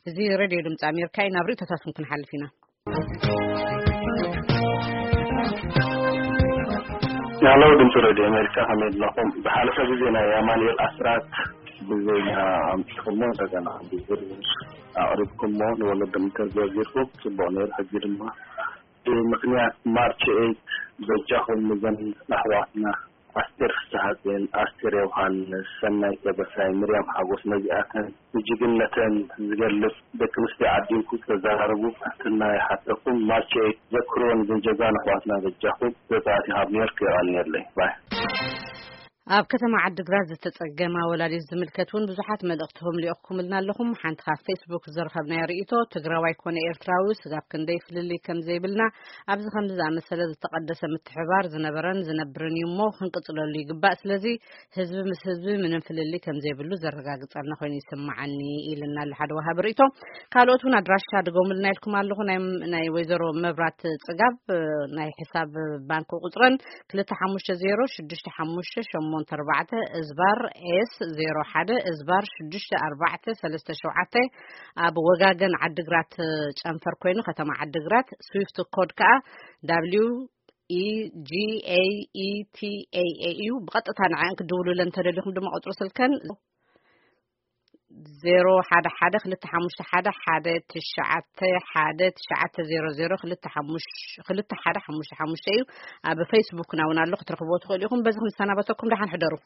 እዚ ሬድዮ ድምፂ ኣሜሪካ እዩ። ናብ ርእይቶታትኩም ክንሓልፍ ኢና። ያለው ድምፂ ሬድዮ ኣሜሪካ፣ ከመይ ኣለኹም? ዝሓለፈ ግዜ ናይ ኣማኑኤል ኣስራት ብዜና ኣምፅኹሞ፣ እንደገና ብዝርዝር ኣቕሪብኩሞ፣ ንወለዶም ኢንተርቪው ጌርኩም፣ ፅቡቕ ነይሩ። ሕጂ ድማ ብምኽንያት ማርች ኤይት በጃኹም ንዘን ኣሕዋትና ኣስቴር ፍስሓጽዮን፣ ኣስቴር ዮሃንስ፣ ሰናይ ተበሳይ፣ ምርያም ሓጎስ፣ ነዚኣተን ንጅግነተን ዝገልጽ ደቂ ኣንስትዮ ዓዲንኩም ተዘራርቡ ትሕትና ይሓተኩም። ማርች ኤይት ዘክርወን እዘን ጀጋኑ ኣሕዋትና በጃኹም። ዘዛቲ ካብ ኒውዮርክ የቐንየለይ። ባይ። ኣብ ከተማ ዓድግራት ዝተጸገማ ወላዲት ዝምልከት እውን ብዙሓት መልእኽትኹም ልኢኽኩምልና ኣለኹም። ሓንቲ ካብ ፌስቡክ ዝረኸብናዮ ርእይቶ፣ ትግራዋይ ኮነ ኤርትራዊ ስጋብ ክንደይ ፍልልይ ከም ዘይብልና፣ ኣብዚ ከምዚ ዝኣመሰለ ዝተቐደሰ ምትሕባር ዝነበረን ዝነብርን እዩ እሞ፣ ክንቅጽለሉ ይግባእ። ስለዚ ህዝቢ ምስ ህዝቢ ምንም ፍልልይ ከም ዘይብሉ ዘረጋግጸልና ኮይኑ ይስምዓኒ፣ ኢልና ኣሎ ሓደ ወሃቢ ርእይቶ። ካልኦት እውን ኣድራሻ ድገሙልና ኢልኩም ኣለኹ። ናይ፣ ናይ ወይዘሮ መብራት ጽጋብ፣ ናይ ሕሳብ ባንክ ቁጽረን ክልተ ሓሙሽተ ዜሮ ሽዱሽተ ሓሙሽተ ሸሞንተ ኣርባዕተ እዝባር ኤስ ዜሮ ሓደ እዝባር ሽዱሽተ ኣርባዕተ ሰለስተ ሸውዓተ፣ ኣብ ወጋገን ዓድግራት ጨንፈር ኮይኑ፣ ከተማ ዓድግራት። ስዊፍት ኮድ ከኣ W E G A E T A A እዩ። ብቐጥታ ንዐን ክድውሉለን እንተደሊኹም ድማ ቁጽሪ ስልከን ዜሮ ሓደ ሓደ ክልተ ሓሙሽተ ሓደ ሓደ ትሽዓተ ሓደ ትሽዓተ ዜሮ ዜሮ ክልተ ሓሙሽተ ሓደ ሓሙሽተ ሓሙሽተ እዩ። ኣብ ፌስቡክና እውን ኣሎ፣ ክትረኽብዎ ትኽእሉ ኢኹም። በዚ ክንሰናበተኩም፣ ደሓን ሕደሩ።